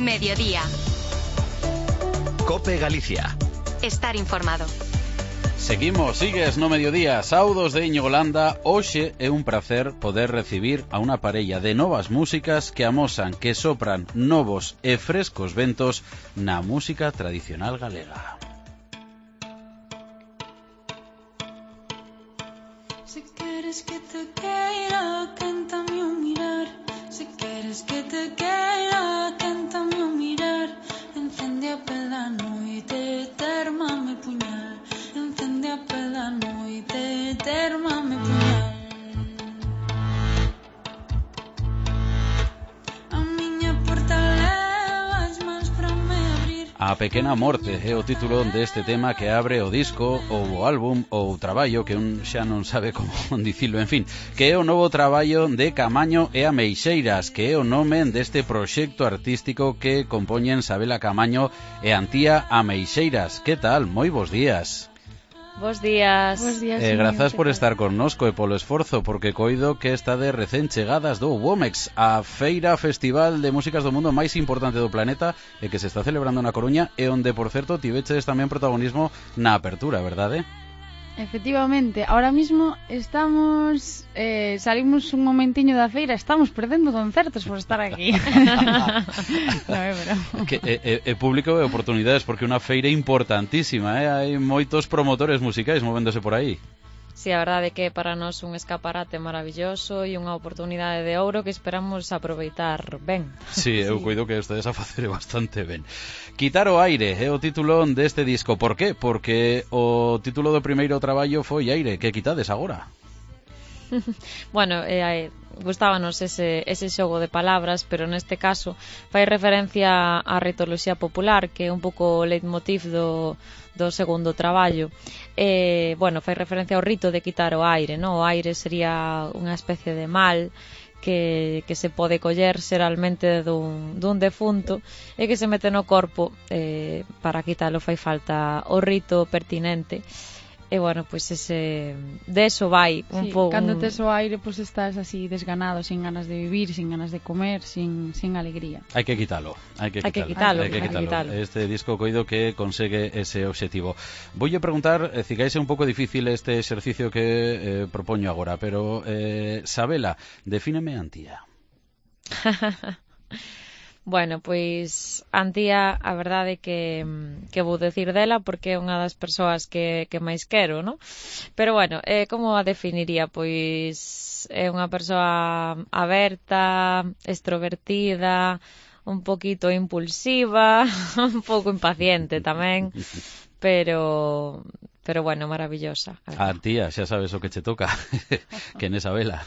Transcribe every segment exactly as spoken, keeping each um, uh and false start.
Mediodía. Cope Galicia. Estar informado. Seguimos, sigues no mediodía. Saudos de Íñigo Landa. Hoxe é un prazer poder recibir a unha parella de novas músicas que amosan que sopran novos e frescos ventos na música tradicional galega. Si queres que te queira, cántame un mirar. Si queres que te queira, cántame un mirar. Encende a pela noite, térmame puñal. Encende a pela noite, térmame puñal. A miña porta leva as mans para me abrir. A Pequena Morte é o título deste tema que abre o disco ou o álbum ou o traballo que un xa non sabe como dicilo, en fin, que é o novo traballo de Camaño e Ameixeiras, que é o nome deste proxecto artístico que compoñen Sabela Camaño e Antía Ameixeiras. Que tal? Moi bos días. Bos días. Bos días. Eh, grazas por estar connosco e polo esforzo, porque coido que está de recén chegadas do Womex, a feira festival de músicas do mundo máis importante do planeta e que se está celebrando na Coruña e onde, por certo, tiveches tamén protagonismo na apertura, verdade? Efectivamente, ahora mismo estamos eh, salimos un momentiño da feira, estamos perdendo concertos por estar aquí. No, é broma. Que é, é, é público e oportunidades, porque é unha feira importantísima, eh? Hai moitos promotores musicais movéndose por aí. Si, sí, a verdade é que para nós un escaparate maravilloso e unha oportunidade de ouro que esperamos aproveitar ben. Si, sí, eu coido que ustedes a facer bastante ben. Quitar o aire é o título deste disco. Por qué? Porque o título do primeiro traballo foi Aire. Que quitades agora? Bueno, eh, gustábanos ese, ese xogo de palabras, pero neste caso fai referencia á ritoloxía popular, que é un pouco o leitmotiv do, do segundo traballo. Eh, bueno, fai referencia ao rito de quitar o aire, no? O aire sería unha especie de mal que, que se pode coller xeralmente dun, dun defunto e que se mete no corpo. Eh, para quitalo fai falta o rito pertinente. E, bueno, pois pues ese... de eso vai un Sí, pouco... cando tes o aire, pois pues estás así desganado, sin ganas de vivir, sin ganas de comer, sin, sin alegría. Hai que quitalo, hai que Hai que quitalo, quitalo, hai que hai que quitalo. quitalo. Este disco coido que consegue ese obxectivo. Voulle preguntar, eh, cigais é un pouco difícil este exercicio que eh, propoño agora, pero eh, Sabela, defíneme Antía. Bueno, pois Antía, a verdade que que vou decir dela porque é unha das persoas que, que máis quero, ¿no? Pero bueno, eh, como a definiría? Pois é unha persoa aberta, extrovertida, un poquito impulsiva, un pouco impaciente tamén, pero pero bueno, maravillosa. Antía, xa sabes o que che toca, que nesa vela.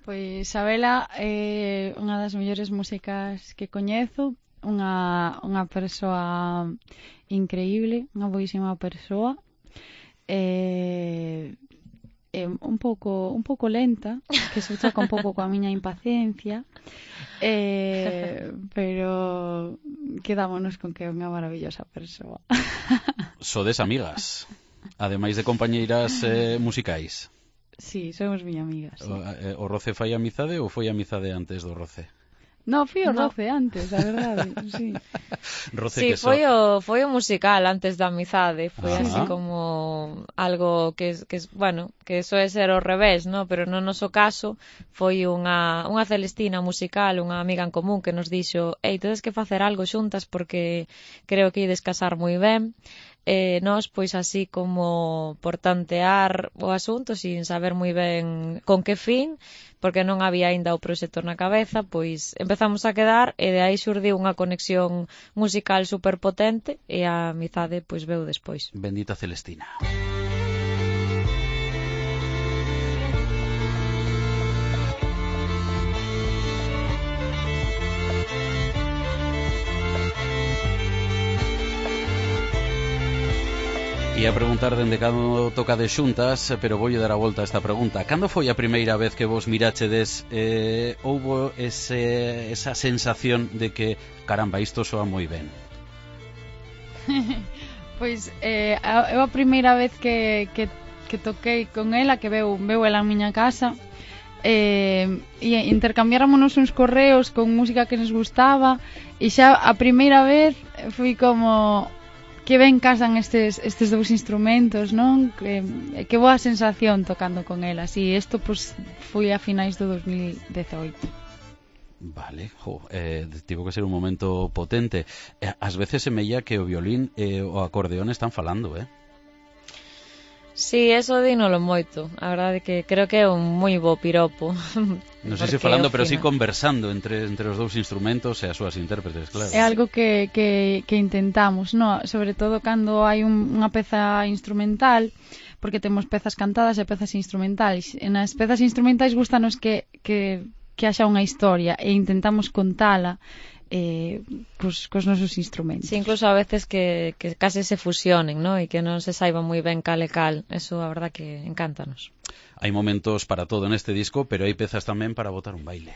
Pois Sabela é unha das mellores músicas que coñezo, unha, unha persoa increíble, unha boísima persoa, é, é un pouco un pouco lenta, que se choca un pouco coa miña impaciencia, é, pero quedámonos con que é unha maravillosa persoa. Sodes amigas, ademais de compañeiras eh, musicais. Sí, somos miña amiga, sí. O, eh, o roce fai amizade ou foi amizade antes do roce? No, fui o No. roce antes, a verdade, sí. Roce Sí, que so... foi o, foi o musical antes da amizade. Foi Ah. así como algo que, que, bueno, que soe ser ao revés, ¿no? Pero no noso caso foi unha, unha Celestina musical, unha amiga en común que nos dixo: ei, tedes que facer algo xuntas porque creo que ides casar moi ben. E nós, pois así como por tantear o asunto sin saber moi ben con que fin, porque non había aínda o proxecto na cabeza, pois empezamos a quedar e de aí xurdiu unha conexión musical superpotente e a amizade pois veu despois. Bendita Celestina. E a preguntar dende cando toca de xuntas, pero voulle dar a volta a esta pregunta. Cando foi a primeira vez que vos mirachedes, eh, houbo ese, esa sensación de que, caramba, isto soa moi ben? Pois, eh, eu a primeira vez que, que, que toquei con ela, que veu, veu ela a miña casa, eh, e intercambiáramos uns correos con música que nos gustaba, e xa a primeira vez fui como que ben casan estes, estes dous instrumentos, non? Que, que boa sensación tocando con elas, e isto pues, foi a finais do dos mil dezoito. Vale, jo, eh, tivo que ser un momento potente. Eh, ás veces semella que o violín e o acordeón están falando, eh? Sí, eso dínolo moito. A verdade é que creo que é un moi bo piropo. Non sei se falando, pero sí conversando entre, entre os dous instrumentos e as súas intérpretes, claro. É algo que, que, que intentamos, no? Sobre todo cando hai un, unha peza instrumental, porque temos pezas cantadas e pezas instrumentais. E nas pezas instrumentais gustanos que... que que haxa unha historia e intentamos contala eh, cos, cos nosos instrumentos. Sí, incluso a veces que, que case se fusionen, ¿no? E que non se saiba moi ben cal e cal. Eso a verdad que encántanos. Hai momentos para todo neste disco, pero hai pezas tamén para botar un baile.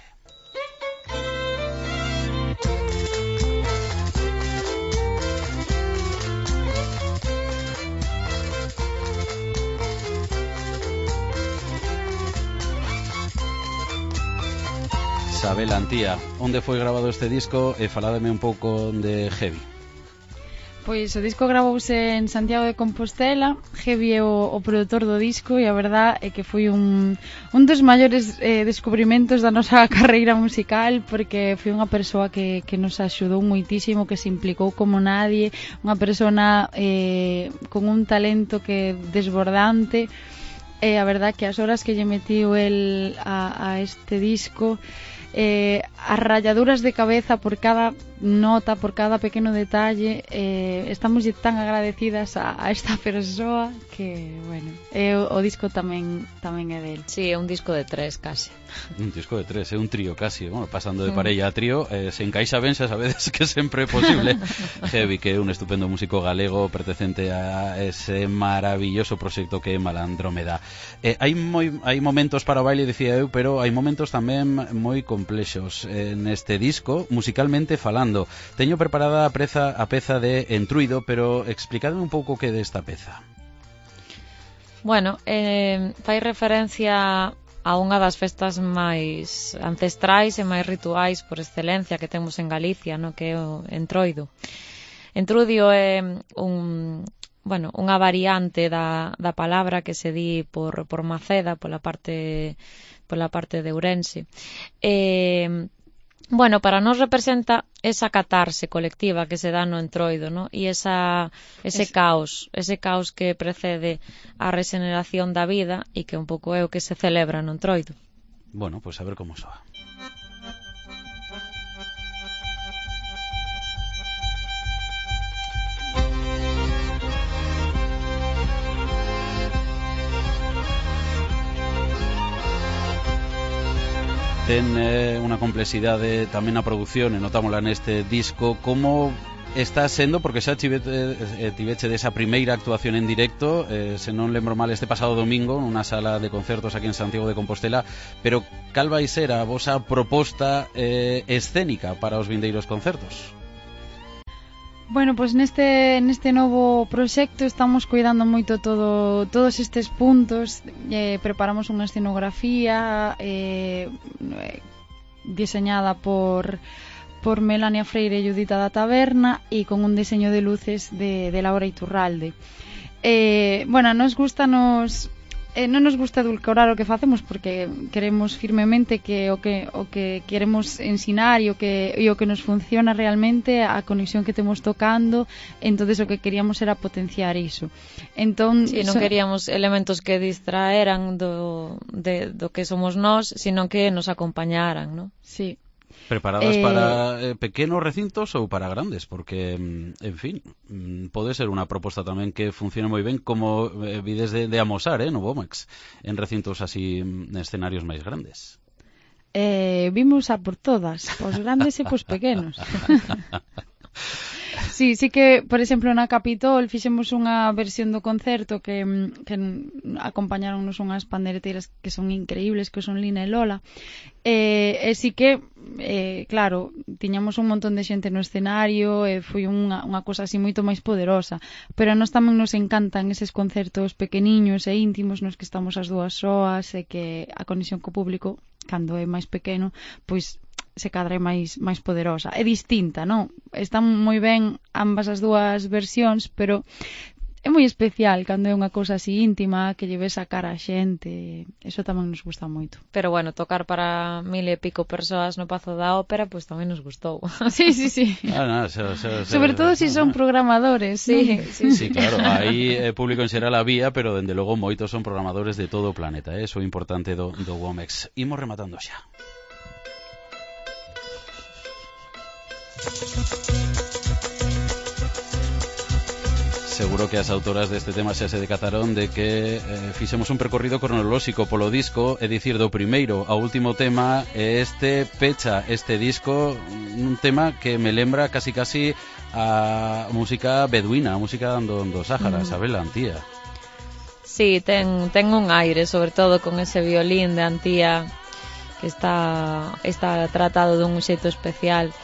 Isabel Antía, onde foi grabado este disco e faládeme un pouco de Heavy? Pois o disco gravouse en Santiago de Compostela. Heavy é o, o produtor do disco e a verdad é que foi un, un dos maiores eh, descubrimentos da nosa carreira musical, porque foi unha persoa que, que nos axudou moitísimo, que se implicou como nadie, unha persona eh, con un talento que desbordante. E a verdad que as horas que lle metiu el a, a este disco, eh, as ralladuras de cabeza por cada nota, por cada pequeno detalle, eh, estamos tan agradecidas a, a esta persoa que, bueno, eh, o, o disco tamén tamén é del. Sí, é un disco de tres casi. Un disco de tres, é un trío casi, bueno, pasando de parella a trío, eh, se encaixa ben, xa sabedes que sempre é posible. Heavy, que é un estupendo músico galego pertencente a ese maravilloso proxecto que é Malandrómeda. Eh, hai moi hai momentos para o baile, dicía eu, pero hai momentos tamén moi complexos eh, neste disco, musicalmente falando. Teño preparada a peza, a peza de Entruido, pero explicadme un pouco que é desta peza. Bueno, eh, fai referencia a unha das festas máis ancestrais e máis rituais por excelencia que temos en Galicia, no? Que é o Entroido. Entrudio é un, bueno, unha variante da, da palabra que se di por, por Maceda, pola parte, pola parte de Ourense. E... Bueno, para nos representa esa catarse colectiva que se dá no Entroido, ¿no? E esa, ese es... caos, ese caos que precede a regeneración da vida e que un pouco é o que se celebra no Entroido. Bueno, pois pues a ver como soa. Ten eh, unha complexidade tamén na produción e notámola neste disco. Como está sendo, porque xa tivete, eh, tiveche desa primeira actuación en directo, eh, se non lembro mal, este pasado domingo nunha sala de concertos aquí en Santiago de Compostela, pero cal vai ser a vosa proposta eh, escénica para os vindeiros concertos? Bueno, pois pues neste neste novo proxecto estamos cuidando moito todo todos estes puntos, eh, preparamos unha escenografía eh, diseñada por por Melania Freire e Judita da Taberna e con un diseño de luces de, de Laura Iturralde. Eh, bueno, nos gusta nos eh, non nos gusta edulcorar o que facemos, porque queremos firmemente que o que o que queremos ensinar e o que e o que nos funciona realmente, a conexión que temos tocando, entonces o que queríamos era potenciar iso. Entón, sí, non queríamos elementos que distraeran do de do que somos nós, sino que nos acompañaran, ¿no? Sí. Preparadas eh... para eh, pequenos recintos ou para grandes, porque, en fin, pode ser unha proposta tamén que funcione moi ben, como eh, vides de, de amosar, eh, no Vomex, en recintos así, en escenarios máis grandes. Eh, vimos a por todas, pos grandes e pos pequenos. Sí, sí que, por exemplo, na Capitol fixemos unha versión do concerto que, que acompañaronnos unhas pandereteiras que son increíbles, que son Lina e Lola, e, e sí que eh, claro, tiñamos un montón de xente no escenario e foi unha, unha cosa así moito máis poderosa, pero a nós tamén nos encantan eses concertos pequeniños e íntimos nos que estamos as dúas soas e que a conexión co público, cando é máis pequeno, pois se cadra é máis, máis poderosa. É distinta, non? Están moi ben ambas as dúas versións, pero é moi especial cando é unha cousa así íntima que lle ves a cara a xente. Eso tamén nos gusta moito. Pero bueno, tocar para mil e pico persoas no Pazo da Ópera, pois pues, tamén nos gustou. Sí, sí, sí. Ah, no, so, so, so, Sobre todo se si son programadores. Sí, ¿no? sí, sí, claro. Aí eh, público en xeral había, pero dende logo moitos son programadores de todo o planeta. Eh? Eso é importante do, do Womex. Imos rematando xa. Seguro que as autoras deste tema xa se decataron de que eh, fixemos un percorrido cronolóxico polo disco, é dicir, do primeiro ao último tema, e este pecha este disco, un tema que me lembra casi casi a música beduína, a música do, do Sáhara, mm. Sabela, Antía. Sí, ten, ten un aire, sobre todo con ese violín de Antía que está, está tratado dun xeito especial.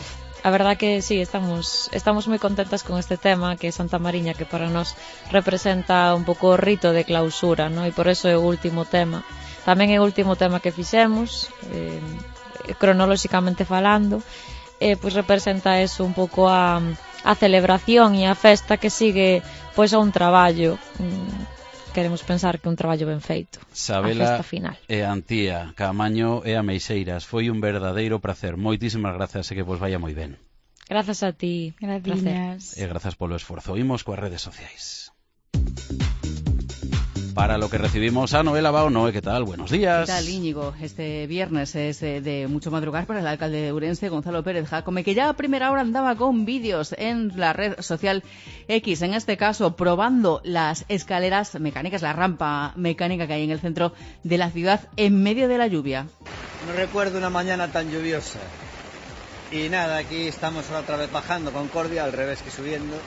A verdad que sí, estamos estamos moi contentas con este tema, que é Santa Mariña, que para nós representa un pouco o rito de clausura, ¿no? E por eso é o último tema. Tamén é o último tema que fixemos, eh, cronolóxicamente falando, e pois representa eso un pouco a, a celebración e a festa que sigue pois a un traballo. Queremos pensar que un traballo ben feito. Sabela a festa final. E Antía, Caamaño e Ameixeiras. Foi un verdadeiro prazer. Moitísimas grazas e que vos vaya moi ben. Grazas a ti. Gracias. E grazas polo esforzo. Imos coas redes sociais. Para lo que recibimos a Noela Bao. Noé, ¿qué tal? Buenos días. ¿Qué tal, Íñigo? Este viernes es de, de mucho madrugar para el alcalde de Ourense, Gonzalo Pérez Jácome, que ya a primera hora andaba con vídeos en la red social X, en este caso probando las escaleras mecánicas, la rampa mecánica que hay en el centro de la ciudad en medio de la lluvia. No recuerdo una mañana tan lluviosa. Y nada, aquí estamos otra vez bajando Concordia, al revés que subiendo,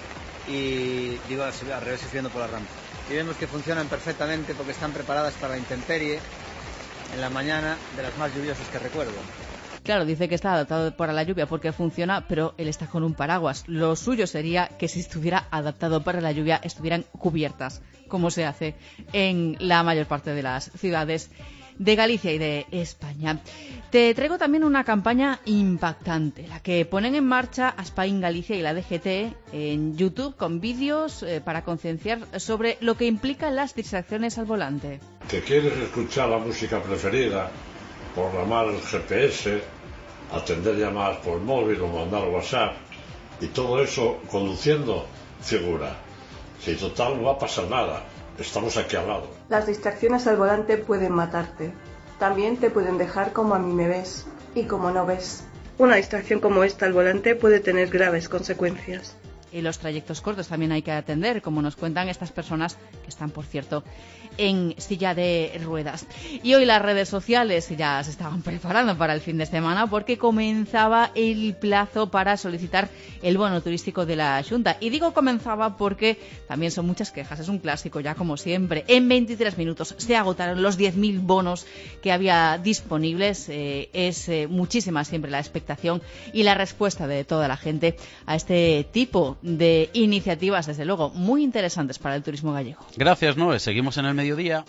y digo al revés que subiendo por la rampa. Y vemos que funcionan perfectamente porque están preparadas para la intemperie en la mañana de las más lluviosas que recuerdo. Claro, dice que está adaptado para la lluvia porque funciona, pero él está con un paraguas. Lo suyo sería que si estuviera adaptado para la lluvia estuvieran cubiertas, como se hace en la mayor parte de las ciudades de Galicia y de España. Te traigo también una campaña impactante, la que ponen en marcha Aspain Galicia y la D G T en YouTube con vídeos eh, para concienciar sobre lo que implican las distracciones al volante. ¿Que quieres escuchar la música preferida, programar el G P S, atender llamadas por móvil o mandar WhatsApp y todo eso conduciendo? Figura, si total no va a pasar nada. Estamos aquí al lado. Las distracciones al volante pueden matarte. También te pueden dejar como a mí me ves y como no ves. Una distracción como esta al volante puede tener graves consecuencias. Y los trayectos cortos también hay que atender, como nos cuentan estas personas que están, por cierto, en silla de ruedas. Y hoy las redes sociales ya se estaban preparando para el fin de semana porque comenzaba el plazo para solicitar el bono turístico de la Xunta. Y digo comenzaba porque también son muchas quejas, es un clásico ya como siempre. En veintitrés minutos se agotaron los diez mil bonos que había disponibles. Eh, es eh, muchísima siempre la expectación y la respuesta de toda la gente a este tipo de iniciativas, desde luego, muy interesantes para el turismo gallego. Gracias, Noé. Seguimos en el mediodía.